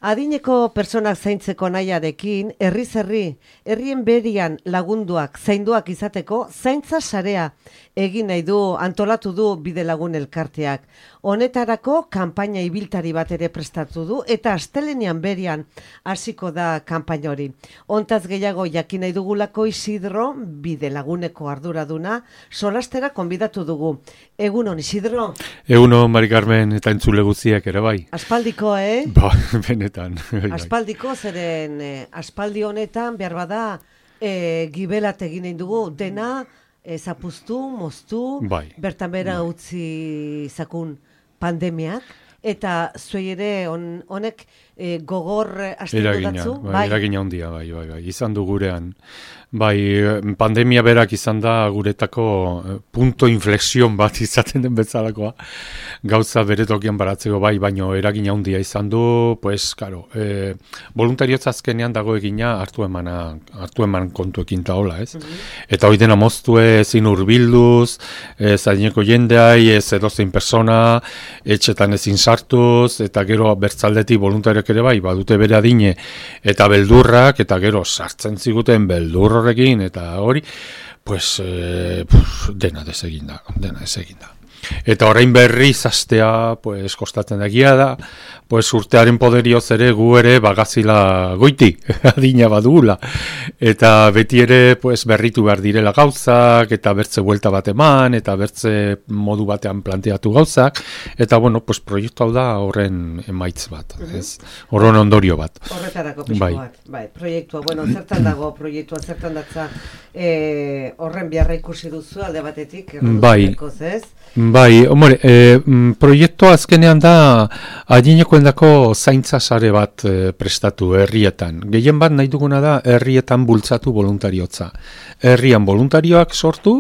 Adineko personak zaintzeko nahiarekin, herrien berian lagunduak, zainduak izateko, zaintza sarea egin nahi du, antolatu du Bidelagun elkarteak. Honetarako kanpaina ibiltari bat ere prestatu du, eta astelenean berian hasiko da kanpaina hori. Hontaz gehiago jakin nahi dugulako Isidro, Bidelaguneko arduraduna, solastera konbidatu dugu. Egunon, Isidro? Egunon, Mari Carmen, eta entzule guztiak ere bai. Aspaldiko, Ba, benetan. Aspaldiko, zeren aspaldi honetan, behar bada, gibelat egin nahi dugu, dena, zapuztu, moztu, bai. Bertan bera utzi zakun pandemiak, eta zuei ere honek gogor astendu datzu? Eragina handia, bai. Izan du gurean. Bai, pandemia berak izan da guretako punto inflexion bat izaten den bezalakoa. Gauza bere tokian baratzeko bai, baino eragina handia izan du, pues, claro, voluntariotza azkenean dago egina hartu eman kontuekin taola, ez? Eta hori dena moztu ezin urbilduz, zaineko jendeai, ez edozein persona, etxetan ezin sartuz, eta gero bertzaldetik voluntariok ere bai, badute bere adine, eta beldurrak, eta gero sartzen ziguten beldur horrekin, eta hori, pues, dena desegin da. Eta orain berriz astea, pues, kostatzen dagia da, pues, urtearen poderioz ere gu ere bagazila goiti, adina badugula. Eta beti ere, pues, berritu behar direla gauzak, eta bertze buelta bat eman, eta bertze modu batean planteatu gauzak, eta, bueno, pues, proiektu hau da horren emaitz bat, ez? Horren ondorio bat. Horretarako pixko bat, bai, proiektua, bueno, zertan dago proiektua, zertan datza horren beharra ikusi duzu alde batetik, erreduzekoz, ez? Bai, hombre, proiektua azkenean da adinekoendako zaintza sare bat prestatu herrietan. Gehien bat nahi duguna da herrietan bultzatu voluntariotza. Herrian voluntarioak sortu,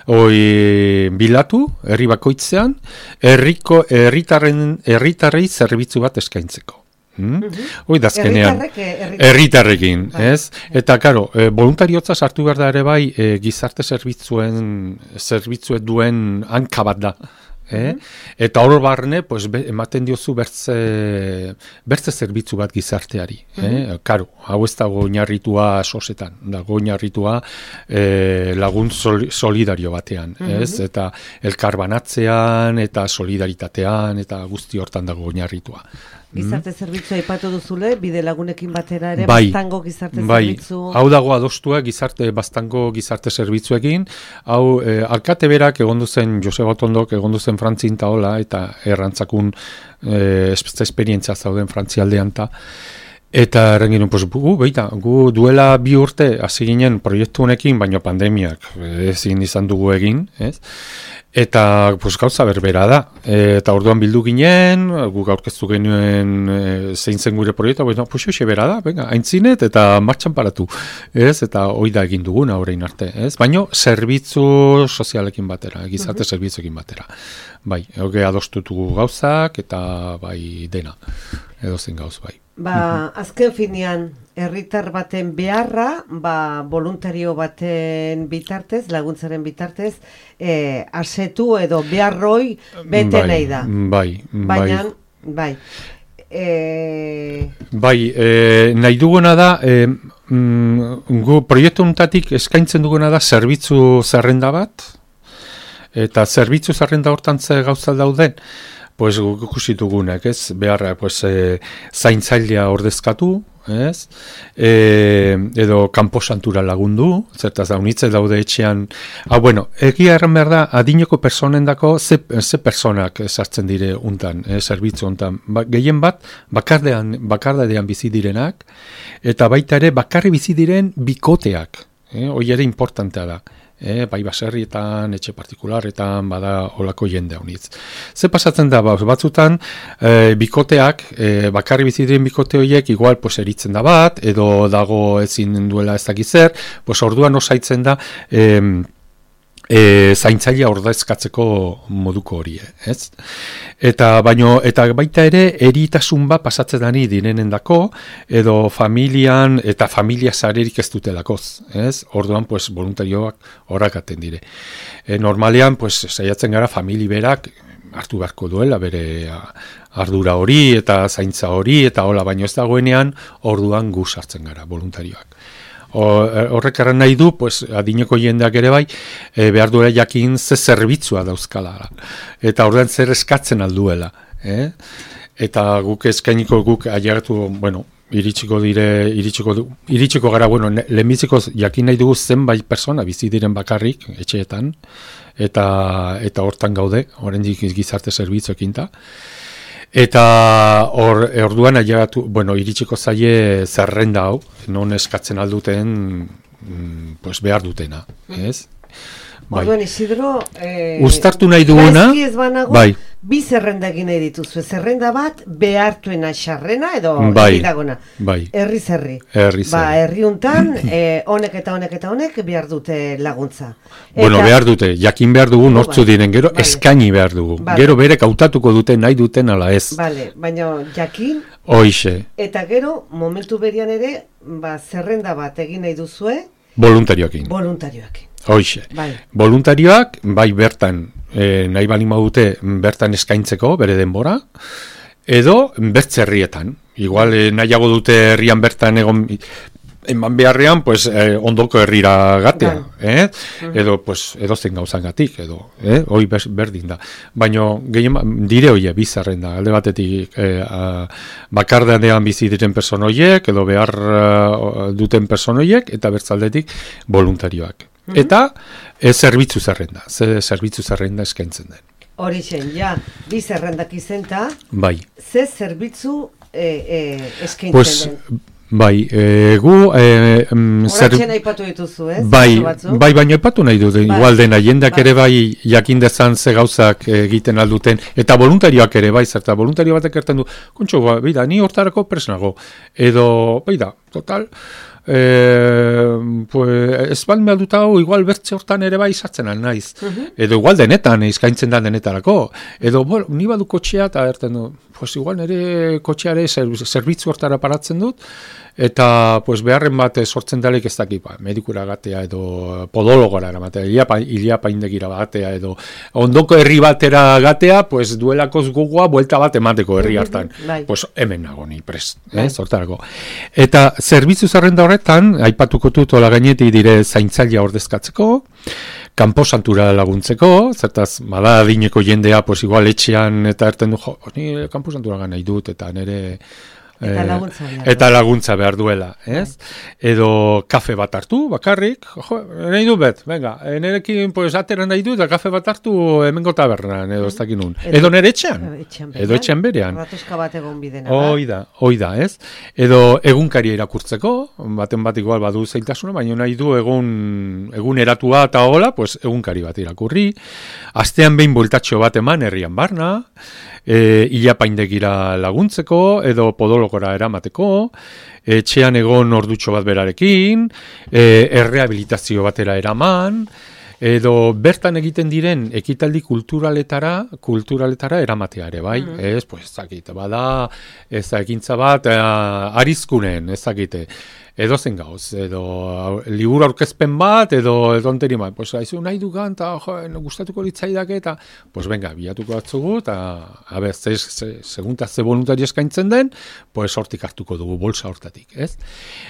bilatu, herri bakoitzean, herritarrei zerbitzu bat eskaintzeko. Hoi da azkenean, herritarrekin, ez? Eta, karo, voluntariotza sartu behar da ere bai, gizarte zerbitzuet duen hanka bat da. Eta hor barne, pues, ematen diozu bertze zerbitzu bat gizarteari. Karo, hau ez dago oinarritua sosetan, dago oinarritua lagun solidario batean, ez? Eta elkarbanatzean, eta solidaritatean, eta guzti hortan dago oinarritua. Gizarte zerbitzua aipatu duzule, Bidelagunekin batera ere, Baztango gizarte zerbitzu. Hau dago adostua Baztango gizarte zerbitzuekin, hau alkate berak egondu zen, Joseba Otondok egondu zen Frantzin taola, eta errantzakun esperientzia zauden Frantzialdean ta. Eta errengin, pues, gu duela 2 urte hasi ginen proiektu honekin, baina pandemiak ezin izan dugu egin, ez? Eta, pues, gauza berbera da. Eta orduan bildu ginen, guk aurkeztu genuen zein zen gure proiektu, pues, hoxe bera da, venga, aintzinet eta martxan paratu, ez? Eta hoi da egin duguna orain arte, ez? Baina zerbitzu sozialekin batera, gizarte zerbitzuekin batera. Bai, hoge adostutugu gauzak, eta bai dena, edozen gauz, bai. Azken finean, herritar baten beharra, voluntario baten bitartez, laguntzaren bitartez, asetu edo beharroi bete nahi da. Baina, nahi duguna da, gu proiektu untatik eskaintzen duguna da zerbitzu zerrenda bat, eta zerbitzu zerrenda hortan ze gauza dauden, pues guk ikusi dugunak, ez? Beharra, pues, zaintzailea ordezkatu, ez? Edo kanposantura lagundu, zertaz da, unitze daude etxean. Bueno, egia erran behar da, adineko personendako ze personak sartzen dire untan, zerbitzu untan. Gehien bat, bakardadean bizi direnak, eta baita ere, bakarri bizi diren bikoteak. Hoi ere importantea da. Bai baserrietan, etxe partikularretan, bada olako jende honitz. Ze pasatzen da, batzutan, bikoteak, bakarri bizi diren bikote horiek, igual, pues, eritzen da bat, edo dago ezin duela ez dakiz zer, pues, orduan osaitzen da, zaintzailea ordezkatzeko moduko hori, ez? Eta baita ere eritasun bat pasatzen dani direnendako, edo familian eta familia sarerik ez dutelakoz, ez? Orduan, pues, voluntarioak horrakaten dire. Normalean, pues, saiatzen gara famili berak hartu beharko duela bere ardura hori eta zaintza hori eta hola, baino ez dagoenean orduan gu sartzen gara voluntarioak. Horrek erran nahi du, pues, adineko jendeak ere bai, behar duela jakin ze zerbitzua dauzkala. Eta orduan zer eskatzen alduela. Eta guk eskainiko guk ailegatu, bueno, iritsiko gara, bueno, lehenbiziko jakin nahi dugu zenbait persona bizi diren bakarrik, etxeetan, eta hortan gaude, oraindik gizarte zerbitzuekin ta. Eta orduan ailegatu, bueno, iritsiko zaie zerrenda hau, non eskatzen alduten, pues behar dutena, ez? Orduan, Isidro, uztartu nahi duguna, gaizki ez banago, bai. Bi zerrenda egin nahi dituzu. Zerrenda bat, behartuena xarrena edo iragona. Bai. Herri zerri. Herri untan, honek eta honek eta honek behar dute laguntza. Bueno, behar dute, jakin behar dugu nortzu diren, gero eskaini behar dugu. Gero berek hautatuko dute nahi duten ala ez. Bale, baina jakin. Hoixe. Eta gero, momentu berian ere, zerrenda bat egin nahi duzue. Voluntarioekin. Hoixe. Voluntarioak, bai bertan, nahi balin badute bertan eskaintzeko, bere denbora, edo bertzerrietan. Igual nahiago dute herrian bertan eman beharrean, pues, ondoko herrira gatea. Edo, pues, edozen gauzangatik, edo, hoi berdin da. Baina, dire hoie, bizarrenda, alde batetik bakardanean bizi diren personoiek, edo behar duten personoiek, eta bertzaldetik voluntarioak. Eta zerbitzu zerrenda, zerbitzu zerrenda eskaintzen den. Horixen, ja, bi zerrendak izenta, bai. Ze zerbitzu eskaintzen den? Bai, gu... Horatxen aipatu dituzu, ez? Bai, baina aipatu nahi dut, igual dena, jendak ere bai jakin dezan ze gauzak egiten alduten, eta voluntarioak ere bai, zerta voluntario batek erten du, kontxo, bida, ni hortarako presnago, edo, bida, total... pues, ez bat mehalduta hau, igual bertze hortan ere bai sartzen naiz. Edo igual denetan, eskaintzen da denetarako. Edo, ni badu kotxea, eta erten du, pues igual nire kotxeare zerbitzu hortara paratzen dut, eta pues beharren bat sortzen dalek ez dakit, medikura gatea edo podologora eramatea, iliapaindegira gatea edo ondoko herri batera gatea, pues duelakoz gogoa buelta bat emateko herri hartan. Pues hemen nago ni prest, zortarako. Eta zerbitzu zerrenda horretan, aipatuko dut hola gainetik dire zaintzailea ordezkatzeko, kanposantura laguntzeko, zertaz, bada adineko jendea, pues igual etxean eta erten du, ni kanposantura nahi dut, eta nire... Eta laguntza behar duela, ez? Edo kafe bat hartu, bakarrik, nahi du bet, venga, nerekin pues atera nahi du, eta kafe bat hartu hemengo tabernan, edo ez dakin nun. Edo nere etxean, edo etxean berean. Ratoska bat egon bidena. Hoi da, ez? Edo egunkaria irakurtzeko, baten bat igual badu zailtasuna, baina nahi du egun eratua eta hola, pues egunkari bat irakurri, astean behin bueltatxo bat eman herrian barna, ilapaindegira laguntzeko, edo podologora eramateko, etxean egon ordutxo bat berarekin, errehabilitazio batera eraman, edo bertan egiten diren ekitaldi kulturaletara eramatea ere, bai? Ez, pues, ezakite, bada, ez ekintza bat, arizkunen, ezakite, edo zen gauz, edo liburu aurkezpen bat, edo onteri bat, pues, haizu nahi dugan, eta gustatuko litzaidak, eta, pues, venga, bilatuko batzugu, eta, segunta ze voluntari eskaintzen den, pues, hortik hartuko dugu, bolsa hortatik, ez?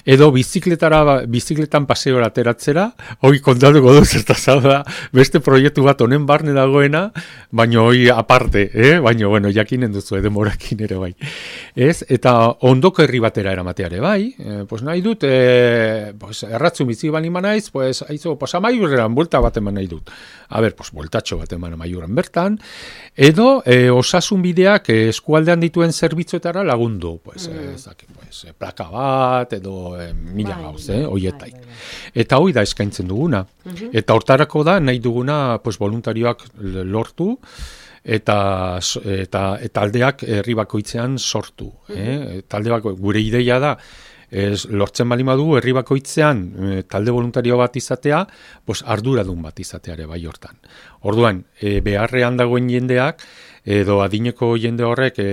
Edo bizikletan paseora ateratzera, hoi kontatuko du, zertazau da, beste proiektu bat honen barne dagoena, baina hoi aparte, baina, bueno, jakinen duzu, demorakin ere bai, ez? Eta ondoko herri batera eramateare bai, pues, nahi dut, pues, erratzu bizi bali manaiz, pues, haizu, pues, amaiurrean buelta bat eman nahi dut. A ber, pues, bueltatxo bat eman amaiurren bertan, edo osasun bideak eskualdean dituen zerbitzuetara lagundu, pues, plaka bat, edo mila gauz, hoietaik. Eta hoi da eskaintzen duguna. Eta hortarako da, nahi duguna, pues, voluntarioak lortu, eta aldeak herri bakoitzean sortu. Talde gure ideia da, lortzen bali madu herri bakoitzean talde voluntario bat izatea, pues arduradun bat izateare bai hortan. Orduan, beharrean dagoen jendeak, edo adineko jende horrek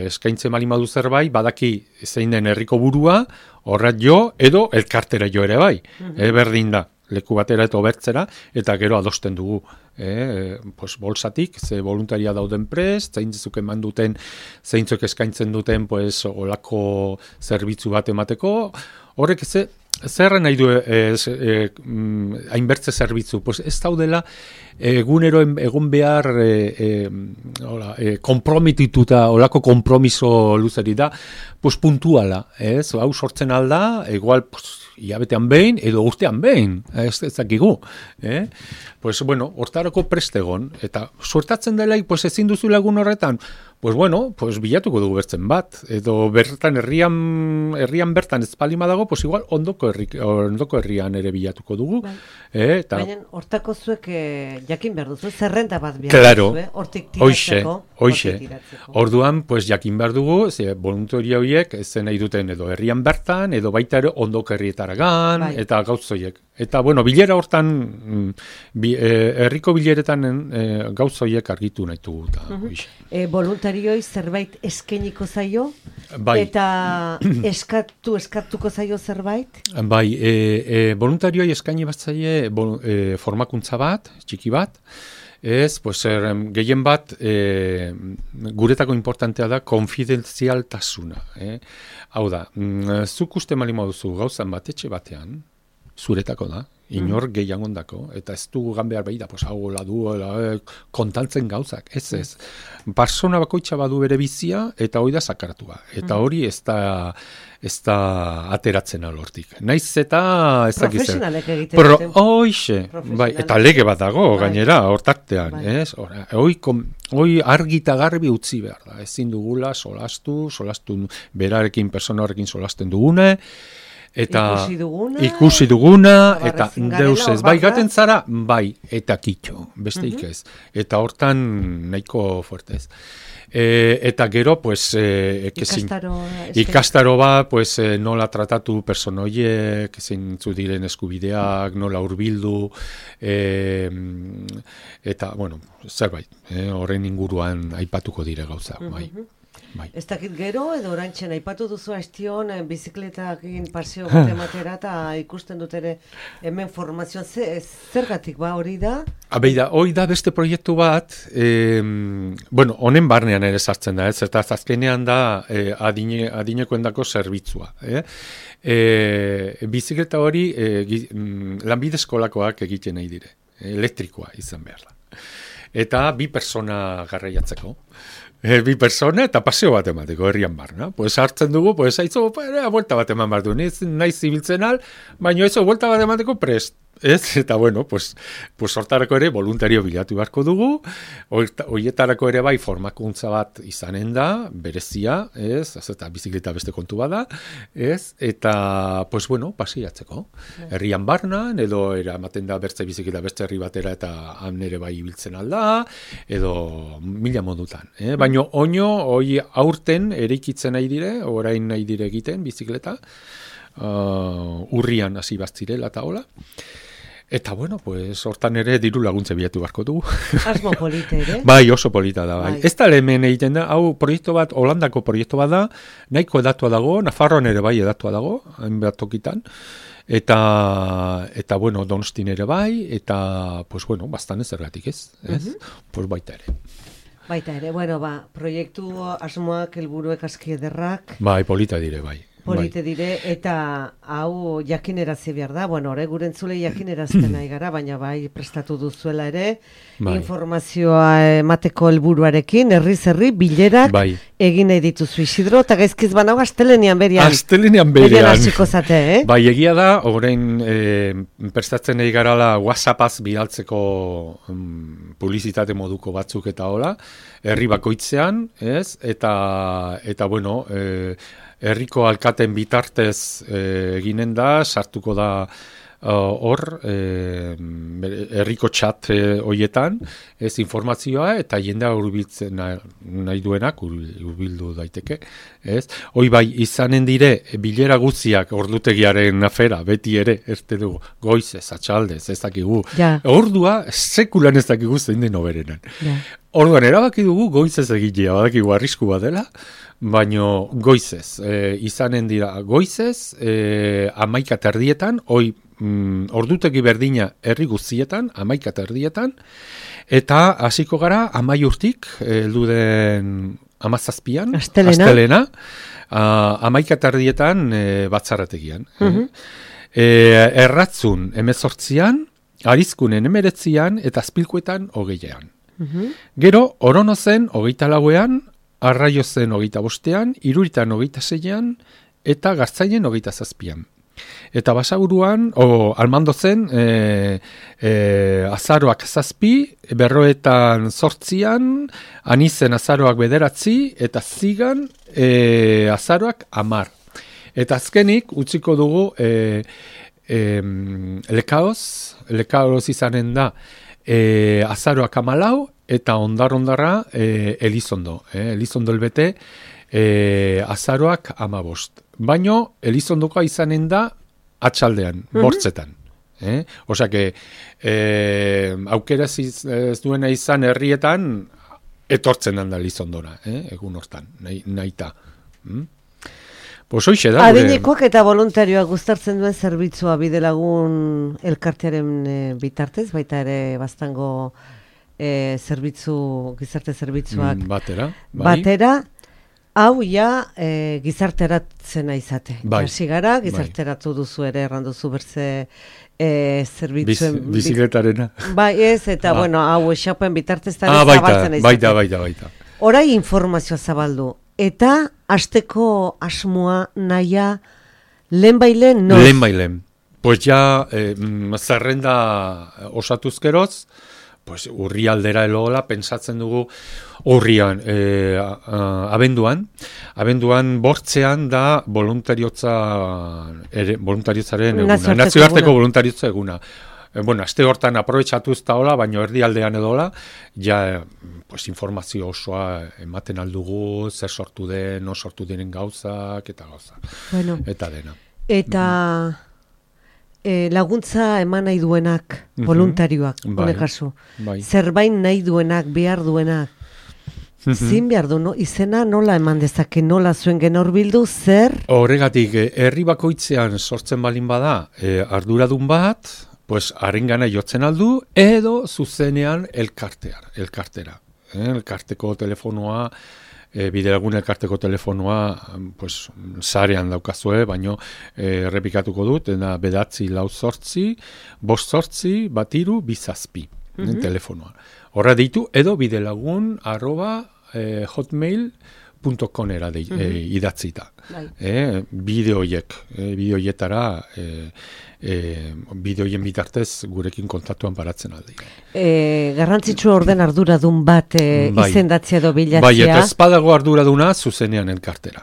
eskaintzen bali madu zerbait, badaki zein den herriko burua, horrat jo, edo elkartera jo ere bai. Berdin da. leku batera eta obertzera, eta gero adosten dugu. Pues bolsatik, ze voluntaria dauden prest, zeintzuk eman duten, zeintzuk eskaintzen duten, pues, olako zerbitzu bat emateko, horrek zerren nahi du hainbertze zerbitzu? Pues ez daudela egunero egon behar kompromitituta, olako kompromiso luzeri da, pues puntuala, ez? Hau sortzen alda, igual, pues, hilabetean behin, edo urtean behin, ez dakigu. Pues, bueno, hortarako prestegon, eta suertatzen dela, pues, ezin duzu lagun horretan, pues, bueno, pues, bilatuko dugu bertzen bat, edo bertan herrian bertan ez palima dago, pues, igual, ondoko herrian ere bilatuko dugu. Baina, hortako zuek jakin behar duzu, zerrenda bat behar claro, duzu, hortik tiratzeko. Hoxe. Orduan, pues, jakin behar dugu, voluntaria horiek, zen nahi duten edo herrian bertan, edo baita ere ondoko herrietaragan, eta gauzoiek. Eta, bueno, bilera hortan, herriko bileretan gauzoiek argitu nahi dugu. Voluntarioi zerbait eskeniko zaio? Bai. Eta eskatuko zaio zerbait? Bai, voluntarioi eskaini bat zaie formakuntza bat, txiki bat, pues, gehien bat, guretako importantea da, konfidentzialtasuna. Hau da, zuk uste malimo duzu gauzan bat, etxe batean, zuretako da, inor gehiago ondako, eta ez dugu gan behar behida, pues, hau kontantzen gauzak, ez. Persona bakoitza badu bere bizia, eta hori da sakaratua. Eta hori ez da ateratzen alortik. Naiz eta ez dakizen. Profesionalek egiten duten. Hoxe, bai, eta lege bat dago, gainera, hortartean, ez? Hoi argita garbi utzi behar da. Ezin dugula solastu berarekin, persona horrekin solasten dugune, eta ikusi duguna eta deus ez, bai gaten zara, bai, eta kitxo, besteik ez. Eta hortan nahiko fuertez. Eta gero, pues, ikastaro ba, pues, nola tratatu personoiek, zeintzu diren eskubideak, nola hurbildu, eta, bueno, zerbait, horren inguruan aipatuko dire gauza, bai. Ez dakit gero, edo orantxen aipatu duzu astion, bizikletakin paseo bat ematera, eta ikusten dut ere hemen formazioan zergatik ba hori da? Hori da beste proiektu bat, bueno, honen barnean ere sartzen da, eta azkenean da adinekoendako zerbitzua. Bizikleta hori lanbide eskolakoak egiten nahi dire, elektrikoa izan behar da. Eta bi persona garraiatzeko. Bi persona eta paseo bat emateko herrian barna. Pues hartzen dugu, pues haitzo, buelta bat eman behar du. Naiz zibiltzen al, baina eso, buelta bat emateko prest. Ez? Eta bueno, pues hortarako ere voluntario bilatu beharko dugu, horietarako ere bai formakuntza bat izanen da, berezia, ez? Eta bizikleta beste kontu bada, ez? Eta, pues bueno, pasiatzeko. Herrian barnan, edo eramaten da bertze bizikleta beste herri batera eta han ere bai ibiltzen alda, edo mila modutan. Baina hoi aurten eraikitzen nahi dire, orain nahi dire egiten bizikleta, urrian hasi baztirela eta hola. Eta bueno, pues hortan ere diru laguntze bilatu beharko dugu. Asmo polita ere? Bai, oso polita da, bai. Ez da hemen egiten da, hau proiektu bat, Holandako proiektu bat da, nahiko edatua dago, Nafarroan ere bai edatua dago, hainbat tokitan, eta bueno, Donostin ere bai, eta, pues bueno, bastan ez ergatik ez, pues baita ere. Baita ere, bueno, proiektu asmoak, helburuek aski ederrak. Bai, polita dire, bai. Polite dire, eta hau jakinerazi behar da, bueno, guren zule jakinerazten nahi gara, baina bai prestatu duzuela ere, informazioa emateko helburuarekin, herri bilerak egin nahi dituzu Isidro, eta gaizkiz banago astelenean berian. Astelenean berian. Hasiko zate, Bai, egia da, orain prestatzen nahi garala WhatsAppaz bidaltzeko publizitate moduko batzuk eta hola, herri bakoitzean, ez? Eta bueno, herriko alkaten bitartez eginen da, sartuko da hor, herriko txat hoietan, ez informazioa, eta jendea hurbiltzen nahi duenak hurbildu daiteke, ez? Hoi bai, izanen dire, bilera guztiak ordutegiaren afera, beti ere, ez dugu, goizez, atxaldez, ez dakigu. Ordua, sekulan ez dakigu zein den oberenan. Orduan, erabaki dugu goizez egitea, badakigu arrisku bat dela, baino goizez, izanen dira goizez, 11 erdietan, hoi ordutegi berdina herri guztietan, 11:30, eta hasiko gara 11:00 heldu den 17an, astelena, 11:30 batzarrategian. Erratzun 18an, Arizkunen 19an, eta Azpilkuetan 20an. Gero, Oronozen 24ean, Arraiozen 25ean, Iruritan 26ean, eta Gartzainen 27an. Eta Basaburuan, Almandozen, azaroak 7, Berroetan 8, Anizen azaroak 9, eta Zigan azaroak 10. Eta azkenik, utziko dugu Lekaoz izanen da azaroak 14, eta ondarra Elizondo. Elizondo elbete azaroak 15. Baino, Elizondokoa izanen da atxaldean, bortzetan. Osake, aukera ez duena izan herrietan, etortzen handa Elizondora, egun hortan, nahita. Pues hoxe da. Adinekoak eta voluntarioak guztartzen duen zerbitzua Bidelagun elkartearen bitartez, baita ere baztango gizarte zerbitzuak batera, hau ja gizarteratzen aizate. Hasi gara, gizarteratu duzu ere, erranduzu berze zerbitzuen... Bizikletarena. Bai, ez, eta bueno, hau esapen bitartez zabaltzen aizate. Baita. Orai informazioa zabaldu. Eta hasteko asmoa nahia lehenbailen noz? Lehenbailen. Pues ja, zerrenda osatuzkeroz, pues urrialdera elola, pensatzen dugu urrian, abenduan bortzean da voluntariotzaren eguna, nazioarteko voluntariotza eguna. Bueno, aste hortan aprobetxatuz taola, baina erdialdean edola, ja, pues, informazio osoa ematen aldugu, zer sortu den, no sortu diren gauzak, eta gauzak. Bueno, eta dena. Eta laguntza eman nahi duenak, voluntarioak, honekazu. Zerbait nahi duenak, behar duenak. Zin behar du, no? Izena nola eman dezake, nola zuen genor bildu, zer? Horregatik, herri bakoitzean sortzen balin bada, arduradun bat, pues harengana jotzen aldu, edo zuzenean elkartera. Elkarteko telefonoa, Bidelagun elkarteko telefonoa, pues, sarean daukazue, baino errepikatuko dut, eta 9-4-5-8-5-2-2-2-2 telefonoa. Horra deitu, edo bidelagun@hotmail.com idatzita. Bideoietara, bideoien bitartez gurekin kontaktuan paratzen aldi. Garrantzitsu orden arduradun bat izendatzea edo bilatzea. Bai, eta espadago arduraduna zuzenean elkartera.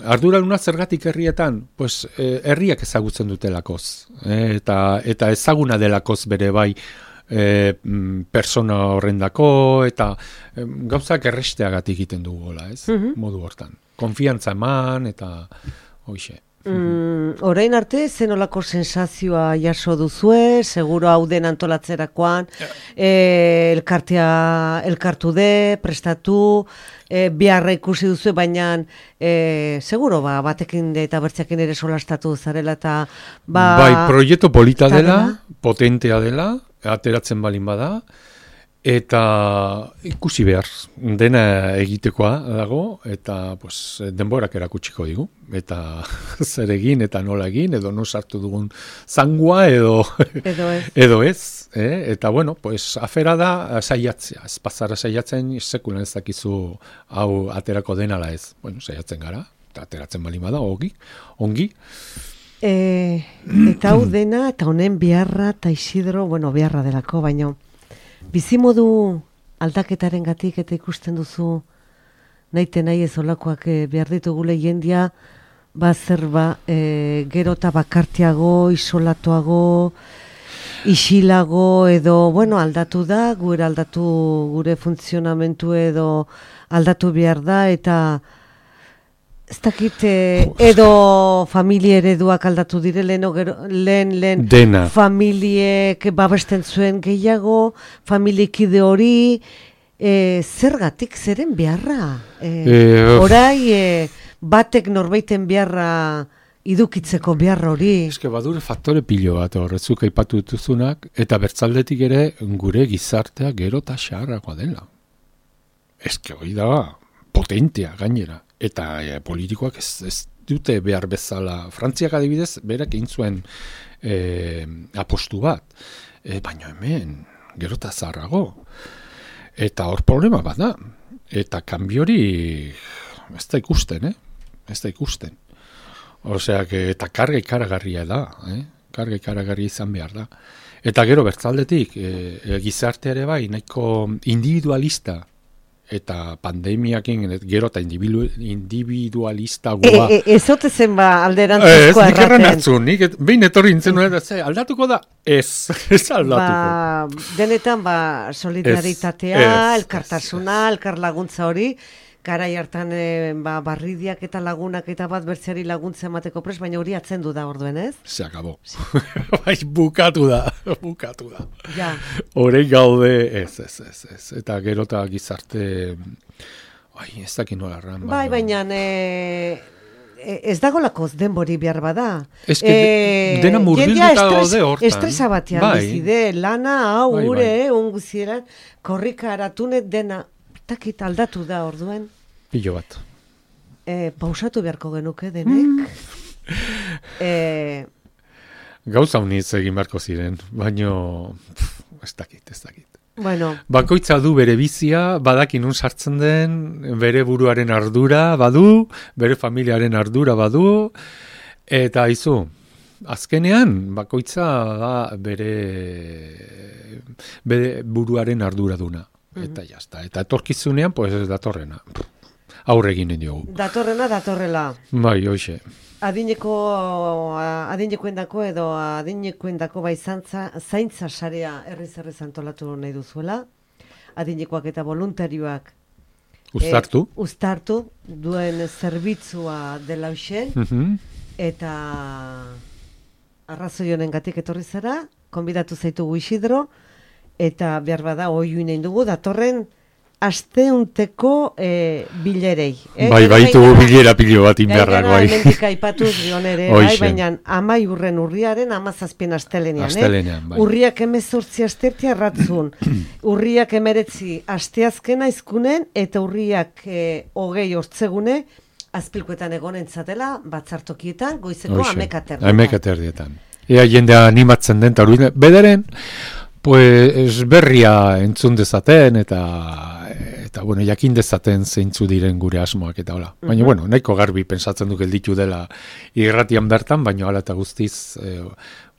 Arduraduna zergatik herrietan? Pues, herriak ezagutzen dutelakoz. Eta ezaguna delakoz bere bai persona horrendako, eta gauzak erresteagatik egiten dugola, ez? Modu hortan. Konfiantza eman, eta hoxe. Orain arte, zenolako sensazioa jaso duzue, seguro hau den antolatzerakoan, elkartu de, prestatu, biharra ikusi duzue, baina seguro batekin eta bertzeakin ere solastatu zarela, eta bai, proiektu polita dela, potentea dela, ateratzen balin bada, eta ikusi behar, dena egitekoa dago, eta pues, denborak erakutsiko digu, eta zer egin, eta nola egin, edo no sartu dugun zangua, edo ez. Eta bueno, pues, afera da saiatzea, ez pasara saiatzen, sekulan ez dakizu hau aterako denala ez. Bueno, saiatzen gara, eta ateratzen balin bada, ongi. Eta hau dena, eta honen beharra, eta Isidro, beharra delako, baina bizimodu aldaketaren gatik eta ikusten duzu nahi ez olakoak behar ditugule jendia, gero eta bakartiago, isolatuago, isilago, edo, aldatu da, gure funtzionamentu edo aldatu behar da, eta ez dakit, edo familie ereduak aldatu dire, lehen familiek babesten zuen gehiago, familiekide hori, zergatik, zeren beharra? Orai, batek norbaiten beharra idukitzeko behar hori. Eske badure faktore pilo bat horretzuk aipatu dituzunak, eta bertzaldetik ere gure gizartea gero eta xaharragoa dela. Eske hori da potentea gainera. Eta politikoak ez dute behar bezala. Frantziak adibidez, berak egin zuen apostu bat. Baina hemen, gero eta zaharrago. Eta hor problema bat da. Eta kanbiori ez da ikusten, Ez da ikusten. Osea, eta karga ikaragarria da, Karga ikaragarria izan behar da. Eta gero bertzaldetik, gizarte ere bai, nahiko individualista, eta pandemiakin gero eta individualista goa. Ez ote zen ba alderantzizkoa erraten. Ez, nik erran hartzu, nik behin etorri nintzen nuen, aldatuko da? Ez aldatuko. Denetan solidaritatea, elkartasuna, elkarlaguntza hori, garai hartan barridiak eta lagunak eta bat bertzeari laguntza emateko pres, baina hori atzendu da orduen, ez? Se acabó. Bai, bukatu da. Ja. Horei gaude, ez. Eta gero eta gizarte, ez dakit nola erran. Bai, baina ez dagolako denbori behar bada. Ez dena murbilduta gaude hortan. Estresa batean bizide, lana, hau, ure, unguzieran, korrika aratunet dena, takit aldatu da orduen. Pilo bat. Pausatu beharko genuke denek. Gauza uniz egin beharko ziren, baino ez dakit. Bueno. Bakoitza du bere bizia, badakin nun sartzen den, bere buruaren ardura badu, bere familiaren ardura badu, eta izu, azkenean bakoitza da bere buruaren ardura duna. Eta jazta. Eta etorkizunean, pues ez datorrena. Aurre egin diogu. Datorrela. Bai, hoxe. Adinekoendako edo adinekoendako bai zaintza sarea herriz antolatu nahi duzuela. Adinekoak eta voluntarioak uztartu duen zerbitzua dela hoxe. Eta arrazoi honengatik etorri zara, konbidatu zaitugu Isidro, eta behar bada oiuin egin dugu, datorren asteunteko bilerei. Bai, baitugu bilera pilo bat inberrak, bai. Mendik aipatuz gion ere, bai, baina 10 urriaren 17 astelenean. Bai. Urriak 18 astertia ratzun, urriak 19 asteazkena izkunen, eta urriak 20 hortzegune, azpilkoetan egonen zatela, batzartokietan, goizeko amekaterdietan. Ea jendea animatzen den, eta bederen, pues berria entzun dezaten eta bueno, jakin dezaten zeintzu diren gure asmoak eta hola. Baina bueno, nahiko garbi pensatzen du gelditu dela irratian bertan, baina hala eta guztiz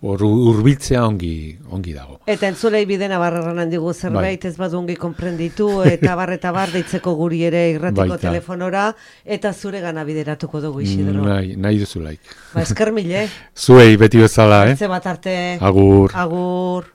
hurbiltzea ongi dago. Eta entzulei bidena barrarran handigu zerbait ez badu ongi konprenditu eta bar deitzeko guri ere irratiko telefonora eta zure gana bideratuko dugu Isidro. Nahi duzulaik. Esker mile. Zuei beti bezala, Ze bat arte. Agur. Agur.